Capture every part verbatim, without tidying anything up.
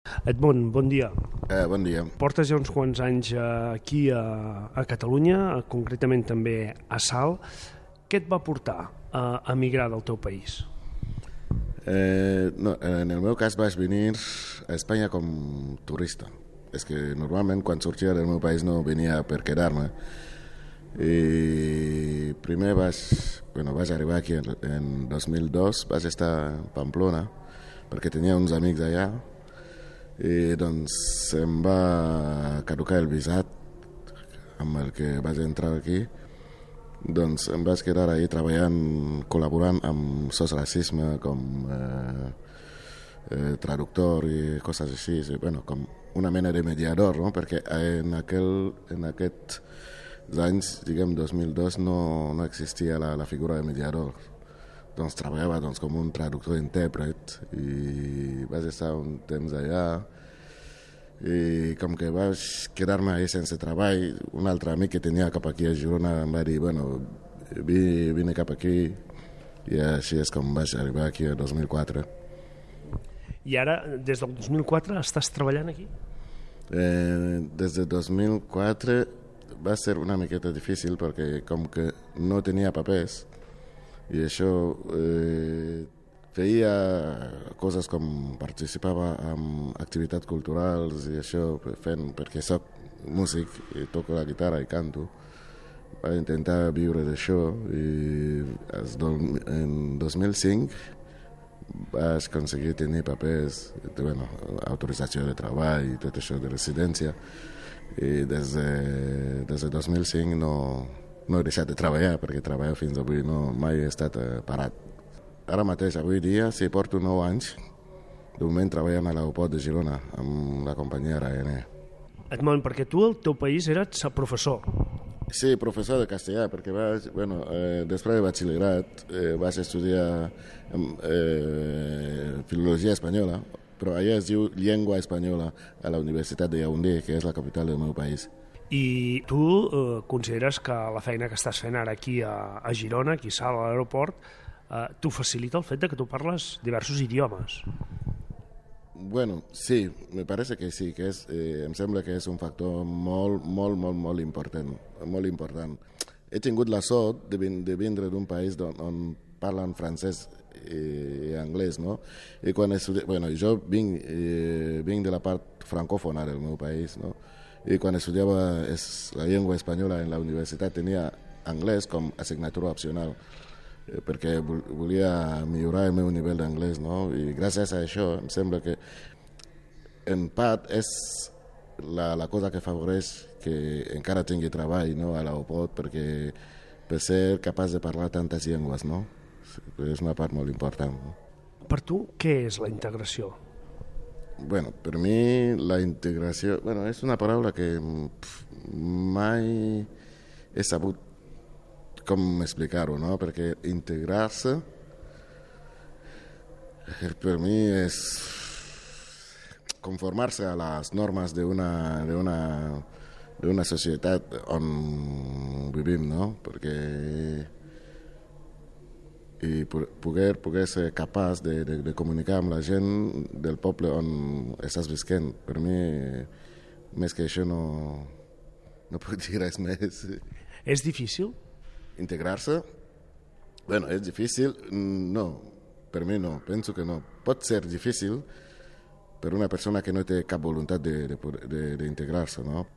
Edmond, bon dia. Eh, bon dia. Portes ja uns quants anys eh, aquí a, a Catalunya, eh, concretament també a Salt. Què et va portar a emigrar del teu país? Eh, no, en el meu cas vaig venir a Espanya com turista. És que normalment quan sortia del meu país no venia per quedar-me. I primer vaig, bueno, vaig arribar aquí en, en dos mil dos, vaig estar a Pamplona perquè tenia uns amics allà i doncs em va caducar el visat amb el que vaig entrar aquí. Doncs em vaig quedar ahí treballant, col·laborant amb Sos Racisme com eh, eh, traductor i coses així, i, bueno, com una mena de mediador, no? Perquè en, aquel, en aquests anys, diguem, dos mil dos, no, no existia la, la figura de mediador. Doncs treballava doncs, com un traductor-intèrpret i vaig estar un temps allà i com que vaig quedar-me ahí sense treball, un altre amic que tenia cap aquí a Girona em va dir, bueno, vine cap aquí i així és com vaig arribar aquí el dos mil quatre. I ara, des del dos mil quatre, estàs treballant aquí? Eh, des del dos mil quatre va ser una miqueta difícil perquè com que no tenia papers i això eh, feia coses com participava en activitats culturals i això fent, perquè soc músic i toco la guitarra i canto. Vaig intentar viure d'això i en dos mil cinc vaig aconseguir tenir papers, de, bueno, autorització de treball i tot això de residència i des de, des de dos mil cinc no, no he deixat de treballar perquè treballo fins avui, no, mai he estat eh, parat. Ara mateix, avui dia, sí, porto nou anys de moment treballant a l'aeroport de Girona amb la companyia Ryanair. Edmond, perquè tu al teu país eres professor. Sí, professor de castellà, perquè vaig, bueno, eh, després de batxillerat eh, vaig estudiar eh, filologia espanyola, però allà es diu llengua espanyola a la Universitat de Yaoundé, que és la capital del meu país. I tu eh, consideres que la feina que estàs fent ara aquí a, a Girona, aquí a Salt, a l'aeroport, eh, t'ho facilita el fet de que tu parles diversos idiomes? Bueno, sí, me parece que sí, que és, eh, em sembla que és un factor molt, molt, molt, molt important, molt important. He tingut la sort de, vin de vindre d'un país on, on parlen francès i, i anglès, no? I quan estudi... bueno, jo vinc, eh, vinc de la part francòfona del meu país, no? I quan estudiava es, la llengua espanyola en la universitat tenia anglès com assignatura opcional, perquè volia millorar el meu nivell d'anglès, no? I gràcies a això em sembla que en part és la, la cosa que afavoreix que encara tingui treball, no? A l'aeroport, perquè per ser capaç de parlar tantes llengües, no? És una part molt important, no? Per tu, què és la integració? Bueno, per mi la integració, bueno, és una paraula que pff, mai he sabut com explicar-ho, no? Perquè integrar-se per mi és conformar-se a les normes d'una d'una d'una societat on vivim, no? Perquè i poder, poder ser capaç de, de, de comunicar amb la gent del poble on estàs visquent. Per mi, més que això, no, no puc dir res més. És difícil? Integrar-se? Bueno, és difícil? No, per mi no, penso que no. Pot ser difícil per una persona que no té cap voluntat d'integrar-se, no?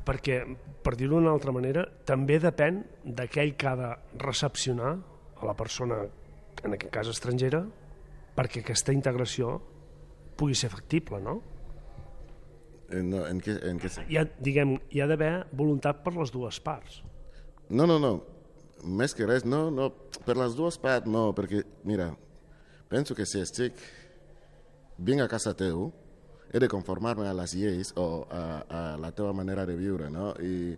Perquè, per dir-ho d'una altra manera, també depèn d'aquell que ha de recepcionar a la persona, en aquest cas estrangera, perquè aquesta integració pugui ser factible, no? No, en què, en què... Hi ha, diguem, hi ha d'haver voluntat per les dues parts. No, no, no. Més que res, no, no. Per les dues parts, no, perquè, mira, penso que si estic vinc a casa teu, he de conformar-me a les lleis o a, a la teva manera de viure, no? I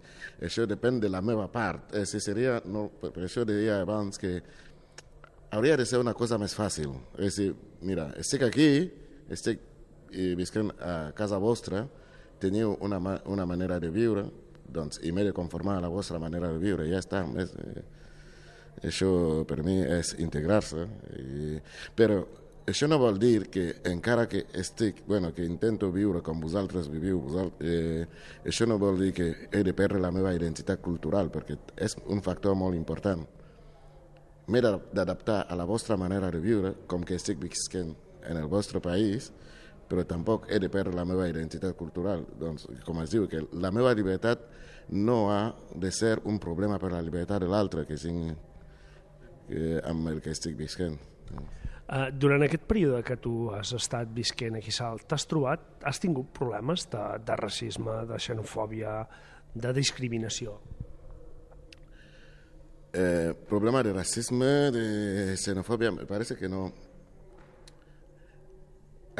això depèn de la meva part. Eh, si seria, no, per això deia abans que hauria de ser una cosa més fàcil. És dir, mira, estic aquí, estic visquent a casa vostra, teniu una, una manera de viure, doncs, i m'he de conformar a la vostra manera de viure, ja està. És, eh, això per mi és integrar-se. I, però això no vol dir que encara que estic, bueno, que intento viure com vosaltres viviu, vosaltres, eh, això no vol dir que he de perdre la meva identitat cultural, perquè és un factor molt important. M'he d'adaptar a la vostra manera de viure, com que estic visquent en el vostre país, però tampoc he de perdre la meva identitat cultural. Doncs, com es diu, que la meva llibertat no ha de ser un problema per la llibertat de l'altre que tinc eh, amb el que estic visquent. Uh, durant aquest període que tu has estat visquent aquí a Salt, t'has trobat, has tingut problemes de, de racisme, de xenofòbia, de discriminació? Eh, problema de racisme, de xenofòbia, me parece que no.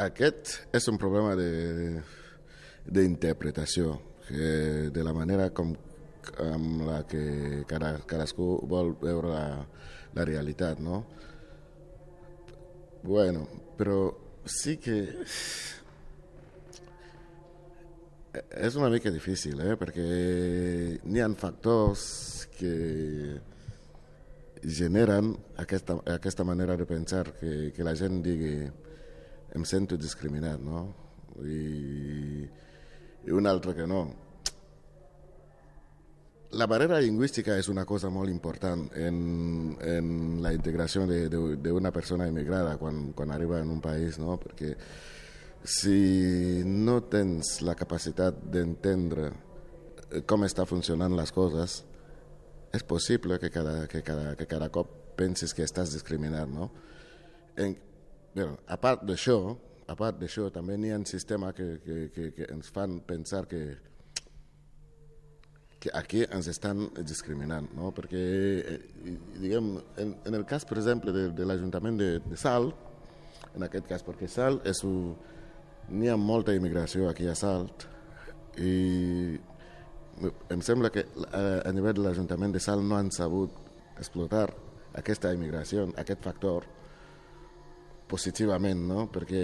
Aquest és un problema d'interpretació, de la manera com amb la que cada, cadascú vol veure la, la realitat, no? Bueno, però sí que és una mica difícil, eh? Perquè n'hi ha factors que generen aquesta, aquesta manera de pensar, que, que la gent digui em sento discriminat, no? I, i un altre que no. La barrera lingüística és una cosa molt important en, en la integració d'una persona immigrada quan, quan arriba en un país, no? Perquè si no tens la capacitat d'entendre com està funcionant les coses, és possible que cada, que cada, que cada cop pensis que estàs discriminat, no? En, bueno, a part d'això, a part d'això, també n'hi ha un sistema que, que, que, que ens fan pensar que que aquí ens estan discriminant, no? Perquè, diguem, en, en el cas, per exemple, de, de l'Ajuntament de, de Salt, en aquest cas, perquè Salt és un... n'hi ha molta immigració aquí a Salt i em sembla que a, a nivell de l'Ajuntament de Salt no han sabut explotar aquesta immigració, aquest factor, positivament, no? Perquè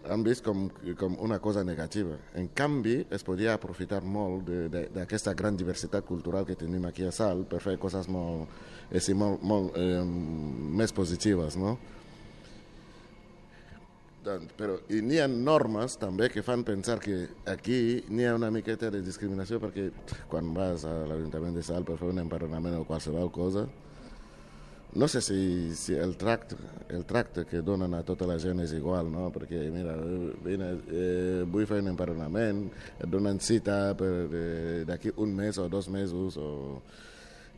han vist com, com una cosa negativa. En canvi, es podia aprofitar molt d'aquesta gran diversitat cultural que tenim aquí a Salt per fer coses molt, eh, molt, molt eh, més positives, no? Doncs, però i n'hi ha normes també que fan pensar que aquí n'hi ha una miqueta de discriminació, perquè quan vas a l'Ajuntament de Salt per fer un empadronament o qualsevol cosa, no sé si, si el, tracte, el tracte que donen a tota la gent és igual, no? Perquè, mira, vine, eh, vull fer un empadronament, et donen cita per eh, d'aquí un mes o dos mesos. O...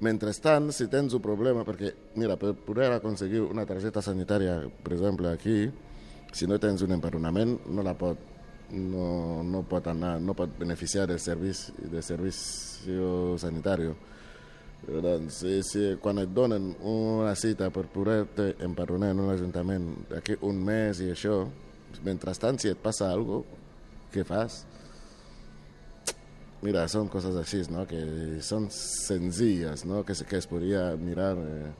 Mentrestant, si tens un problema, perquè, mira, per poder aconseguir una targeta sanitària, per exemple, aquí, si no tens un empadronament, no la pot, no, no pot anar, no pot beneficiar del servici, del servici sanitari. Doncs, si, si, quan et donen una cita per poder-te empadronar en un ajuntament d'aquí un mes i això, mentrestant, si et passa alguna cosa, què fas? Mira, són coses així, no? Que són senzilles, no? Que, que es podria mirar. Eh,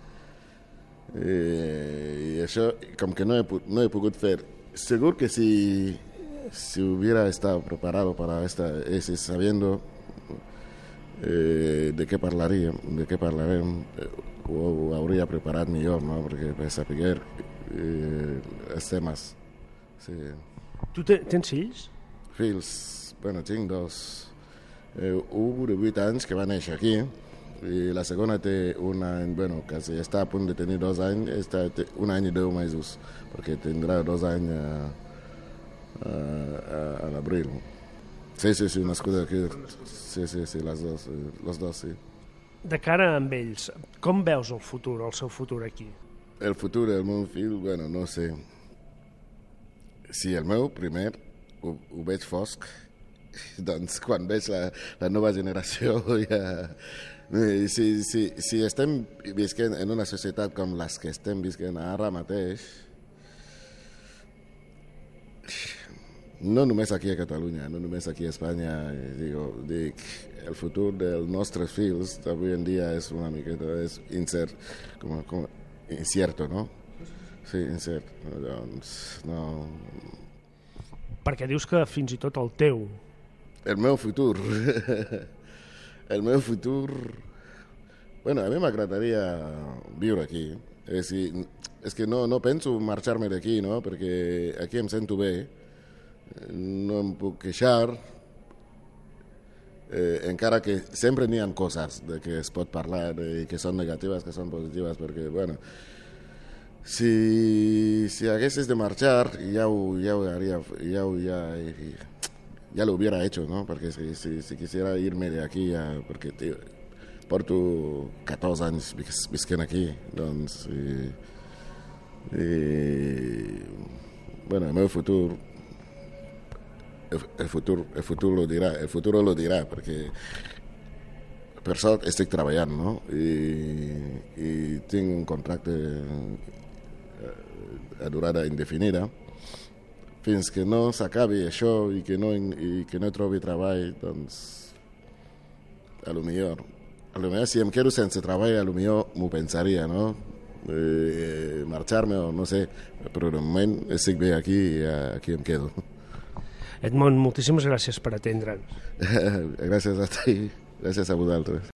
eh, I això, com que no he, no he pogut fer, segur que si, si hubiera estado preparado para esta, ese, sabiendo Eh, de què parlaríem, de què parlarem, eh, ho, ho hauria preparat millor, no? Perquè per saber eh, els temes. Sí. Tu te, tens fills? Fills, bueno, tinc dos. Eh, un de vuit anys que va néixer aquí i la segona té un any, bueno, que està a punt de tenir dos anys, està un any i deu mesos, perquè tindrà dos anys a, a, a, a l'abril. Sí, sí, sí, nascuda aquí. Sí, sí, sí, les dos, les dos, sí. De cara amb ells, com veus el futur, el seu futur aquí? El futur del meu fill, bueno, no sé. Si el meu, primer, ho, ho veig fosc, doncs quan veig la, la nova generació ja... Si, si, si estem visquent en una societat com les que estem visquent ara mateix, no només aquí a Catalunya, no només aquí a Espanya, digo, dic, el futur dels nostres fills avui en dia és una miqueta és incert, com, com, incierto, no? Sí, incert. Doncs, no... Perquè dius que fins i tot el teu... El meu futur... el meu futur... Bueno, a mi m'agradaria viure aquí. És, és que no, no penso marxar-me d'aquí, no? Perquè aquí em sento bé, no em puc queixar, eh, encara que sempre n'hi ha coses de que es pot parlar, de, que són negatives, que són positives, perquè, bueno, si, si haguessis de marxar, ja ho, ja ho haría, ya, ya, ya lo hubiera hecho, ¿no? Porque si, si, si quisiera irme de aquí, ya, porque tío, porto catorze anys visquent aquí, doncs, i, i, bueno, el meu futur, el, el futur, el futur lo dirà, el futur lo dirà, perquè per sort estic treballant, no? I, i tinc un contracte a durada indefinida. Fins que no s'acabi això i que no, i que no trobi treball, doncs, a lo millor, a lo millor si em quedo sense treball, a lo millor m'ho pensaria, no? Eh, marxar-me o no sé, però de moment estic bé aquí i aquí em quedo. Edmond, moltíssimes gràcies per atendre'ns. Gràcies a ti, gràcies a vosaltres.